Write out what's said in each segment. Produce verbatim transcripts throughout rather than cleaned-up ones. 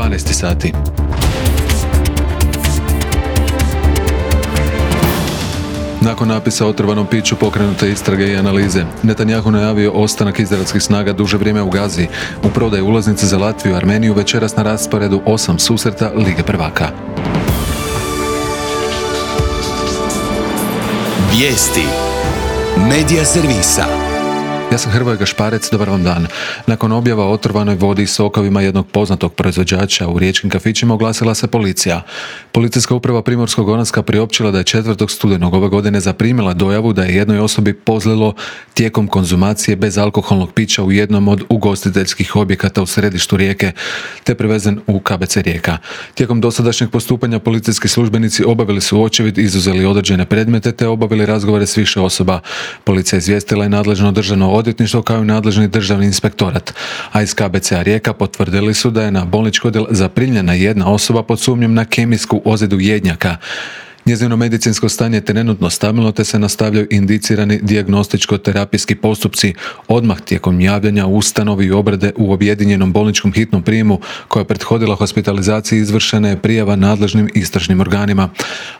dvanaest sati. Nakon napisa o otrovanom piću pokrenute istrage i analize, Netanjahu najavio ostanak izraelskih snaga duže vrijeme u Gazi. U prodaji ulaznice za Latviju i Armeniju večeras na rasporedu osam susreta Lige prvaka. Vijesti Medija servisa. Ja sam Hrvoje Gašparec, dobar vam dan. Nakon objava o otrovanoj vodi i sokovima jednog poznatog proizvođača u riječkim kafićima oglasila se policija. Policijska uprava Primorsko-goranska priopćila da je četvrtog studenog ove godine zaprimila dojavu da je jednoj osobi pozlilo tijekom konzumacije bezalkoholnog pića u jednom od ugostiteljskih objekata u središtu Rijeke, te prevezen u K B C Rijeka. Tijekom dosadašnjeg postupanja policijski službenici obavili su očevid, izuzeli određene predmete te obavili razgovore s više osoba. Policija izvijestila je nadležno državno odvjetništvo kao i nadležni državni inspektorat, a iz K B C-a Rijeka potvrdili su da je na bolnički odjel zaprimljena jedna osoba pod sumnjom na kemijsku ozljedu jednjaka. Njezino medicinsko stanje je trenutno stabilno te se nastavljaju indicirani dijagnostičko-terapijski postupci. Odmah tijekom javljanja u ustanovi i obrade u objedinjenom bolničkom hitnom prijemu koja je prethodila hospitalizaciji izvršena je prijava nadležnim istražnim organima.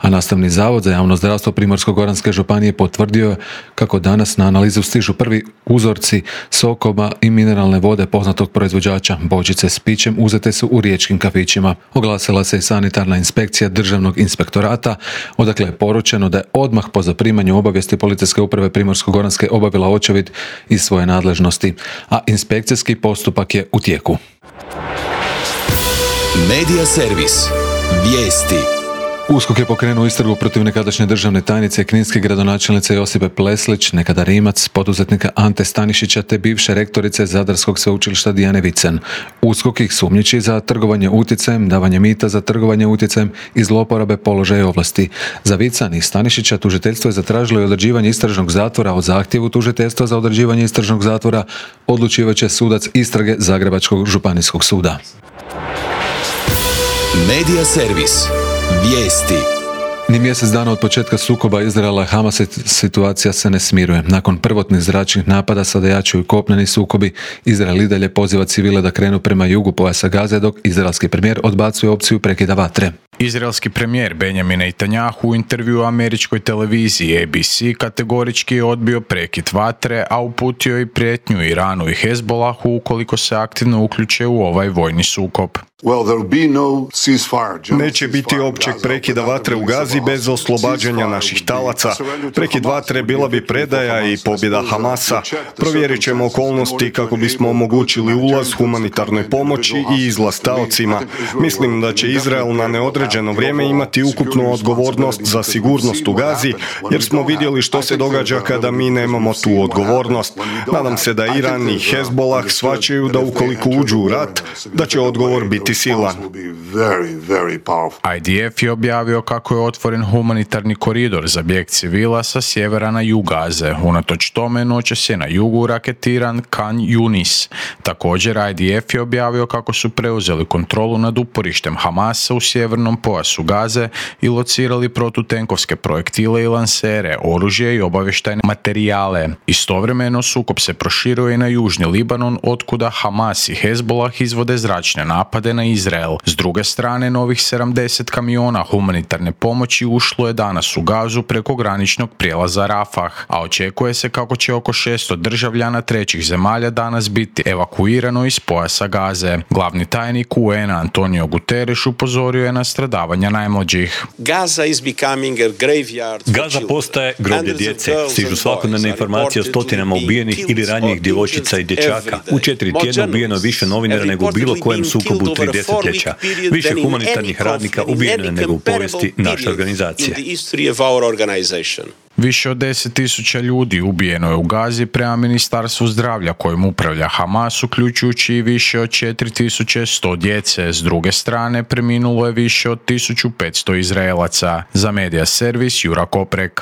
A Nastavni zavod za javno zdravstvo Primorsko-goranske županije potvrdio je kako danas na analizu stižu prvi uzorci sokova i mineralne vode poznatog proizvođača. Bočice s pićem uzete su u riječkim kafićima. Oglasila se i sanitarna inspekcija Državnog inspektorata, odakle je poručeno da je odmah po zaprimanju obavijesti Policijske uprave Primorsko-goranske obavila očevid iz svoje nadležnosti, a inspekcijski postupak je u tijeku. Medija servis. Vijesti. USKOK je pokrenuo istragu protiv nekadašnje državne tajnice kninske gradonačelnice Josipe Pleslić, nekada Rimac, poduzetnika Ante Stanišića te bivše rektorice Zadarskog sveučilišta Dijane Vicen. USKOK ih sumnjiči za trgovanje utjecajem, davanje mita za trgovanje utjecajem i zloporabe položaja i ovlasti. Za Vicen i Stanišića tužiteljstvo je zatražilo i određivanje istražnog zatvora. O zahtjevu tužiteljstva za određivanje istražnog zatvora odlučivat će sudac istrage Zagrebačkog županijskog suda. Medija servis. Vijesti. Ni mjesec dana od početka sukoba Izraela i Hamasa situacija se ne smiruje. Nakon prvotnih zračnih napada sada jačaju kopneni sukobi. Izrael i dalje poziva civile da krenu prema jugu pojasa Gaze, dok izraelski premijer odbacuje opciju prekida vatre. Izraelski premijer Benjamin Netanjahu u intervju u američkoj televiziji A B C kategorički je odbio prekid vatre, a uputio i prijetnju Iranu i Hezbollahu ukoliko se aktivno uključe u ovaj vojni sukob. Neće biti općeg prekida vatre u Gazi bez oslobađanja naših talaca. Prekid vatre bila bi predaja i pobjeda Hamasa. Provjerit ćemo okolnosti kako bismo omogućili ulaz humanitarnoj pomoći i izlaz taocima. Mislim da će Izrael na neodređeno vrijeme imati ukupnu odgovornost za sigurnost u Gazi, jer smo vidjeli što se događa kada mi nemamo tu odgovornost. Nadam se da Iran i Hezbollah shvaćaju da ukoliko uđu u rat, da će odgovor biti silan. I D F je objavio kako je otvoren humanitarni koridor za bijeg civila sa sjevera na jug Gaze. Unatoč tome noćas je na jugu raketiran Khan Yunis. Također I D F je objavio kako su preuzeli kontrolu nad uporištem Hamasa u sjevernom pojasu Gaze i locirali protutenkovske projektile i lansere, oružje i obavještajne materijale. Istovremeno sukob se proširuje i na južni Libanon, otkuda Hamas i Hezbollah izvode zračne napade na Izrael. S druge strane, novih sedamdeset kamiona humanitarne pomoći ušlo je danas u Gazu preko graničnog prijelaza Rafah, a očekuje se kako će oko šesto državljana trećih zemalja danas biti evakuirano iz pojasa Gaze. Glavni tajnik U N-a Antonio Guterres upozorio je na stradavanja najmlađih. Gaza postaje groblje djece. Stižu svakodnevne informacije o stotinama ubijenih ili ranjenih djevojčica i dječaka. U četiri tjedna ubijeno je više novinara nego u bilo kojem sukobu u tri desetljeća. Više humanitarnih radnika ubijeno je nego u povijesti naše organizacije. Više od deset tisuća ljudi ubijeno je u Gazi prema Ministarstvu zdravlja kojim upravlja Hamas, uključujući i više od četiri tisuće sto djece. S druge strane, preminulo je više od tisuću petsto Izraelaca. Za Medija servis Jura Koprek.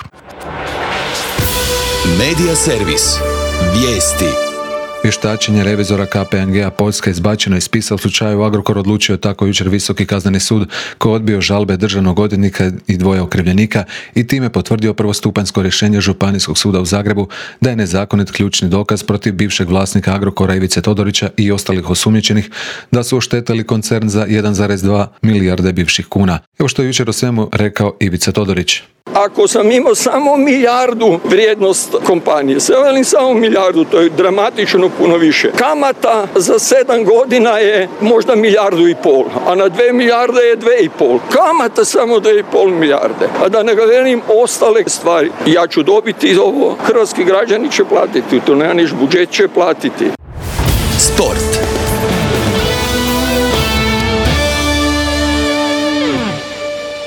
Medija servis. Vijesti. Vještačenje revizora K P M G-a Poljska izbačeno iz spisa u slučaju Agrokor, odlučio je tako jučer Visoki kazneni sud koji je odbio žalbe državnog odvjetnika i dvoje okrivljenika i time potvrdio prvostupanjsko rješenje Županijskog suda u Zagrebu da je nezakonit ključni dokaz protiv bivšeg vlasnika Agrokora Ivice Todorića i ostalih osumnjičenih da su oštetili koncern za jedan zarez dva milijarde bivših kuna. Evo što je jučer o svemu rekao Ivica Todorić. Ako sam imao samo milijardu vrijednost kompanije, sve velim samo milijardu, to je dramatično puno više. Kamata za sedam godina je možda milijardu i pol, a na dve milijarde je dve i pol. Kamata samo dve i pol milijarde, a da ne velim ostale stvari. Ja ću dobiti ovo, hrvatski građani će platiti, to nema niš, budžet će platiti. Sport.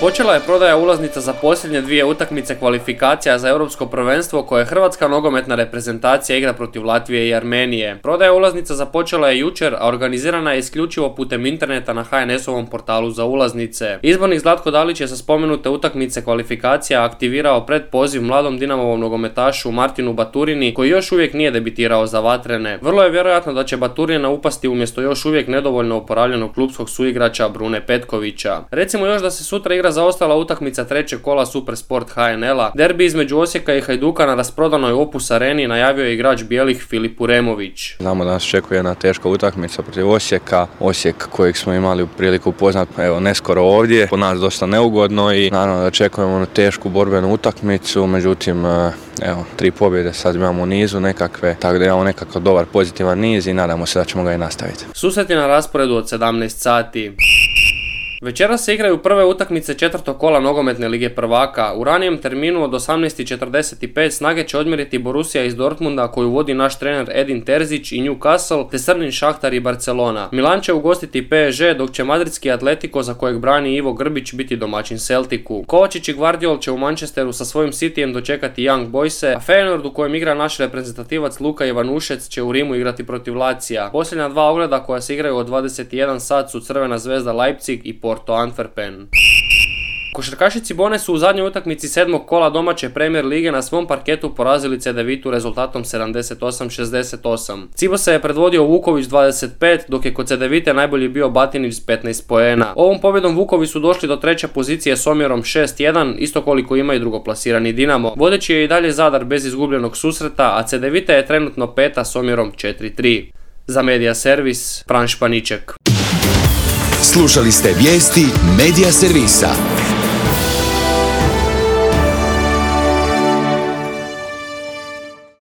Počela je prodaja ulaznica za posljednje dvije utakmice kvalifikacija za europsko prvenstvo koje hrvatska nogometna reprezentacija igra protiv Latvije i Armenije. Prodaja ulaznica započela je jučer, a organizirana je isključivo putem interneta na H N S-ovom portalu za ulaznice. Izbornik Zlatko Dalić je sa spomenute utakmice kvalifikacija aktivirao predpoziv mladom Dinamovom nogometašu Martinu Baturini koji još uvijek nije debitirao za vatrene. Vrlo je vjerojatno da će Baturina upasti umjesto još uvijek nedovoljno oporavljenog klupskog suigrača Brune Petkovića. Recimo još da se sutra igra zaostala utakmica trećeg kola Supersport H N L-a. Derbi između Osijeka i Hajduka na rasprodanoj Opus areni najavio je igrač bijelih Filip Uremović. Znamo da nas očekuje jedna teška utakmica protiv Osijeka. Osijek kojeg smo imali priliku upoznati, evo, neskoro ovdje. Po nas dosta neugodno i naravno da očekujemo tešku borbenu utakmicu, međutim, evo, tri pobjede sad imamo u nizu nekakve, tako da imamo nekakav dobar pozitivan niz i nadamo se da ćemo ga i nastaviti. Susreti na rasporedu od sedamnaest sati. Večeras se igraju prve utakmice četvrtog kola nogometne lige prvaka. U ranijem terminu od osamnaest četrdeset pet snage će odmjeriti Borussia iz Dortmunda koju vodi naš trener Edin Terzić i Newcastle te Srnin Šahtar i Barcelona. Milan će ugostiti P S G dok će madridski Atletico za kojeg brani Ivo Grbić biti domaćin Celticu. Kovačić i Guardiol će u Manchesteru sa svojim Cityjem dočekati Young Boyse, a Feyenoord u kojem igra naš reprezentativac Luka Ivanušec će u Rimu igrati protiv Lacija. Posljednja dva ogleda koja se igraju od dvadeset jedan sat su Crvena zvezda Leipzig i Porto Antwerpen. Košarkaši Cibone su u zadnjoj utakmici sedmog kola domaće Premier lige na svom parketu porazili Cedevitu rezultatom sedamdeset osam šezdeset osam. Cibose je predvodio Vuković dvadeset pet, dok je kod Cedevite najbolji bio Batinić s petnaest poena. Ovom pobjedom Vukovi su došli do treće pozicije s omjerom šest jedan, isto koliko ima i drugoplasirani Dinamo. Vodeći je i dalje Zadar bez izgubljenog susreta, a Cedevita je trenutno peta s omjerom četiri tri. Za Medija Servis, Fran Španiček. Slušali ste vijesti Medija Servisa.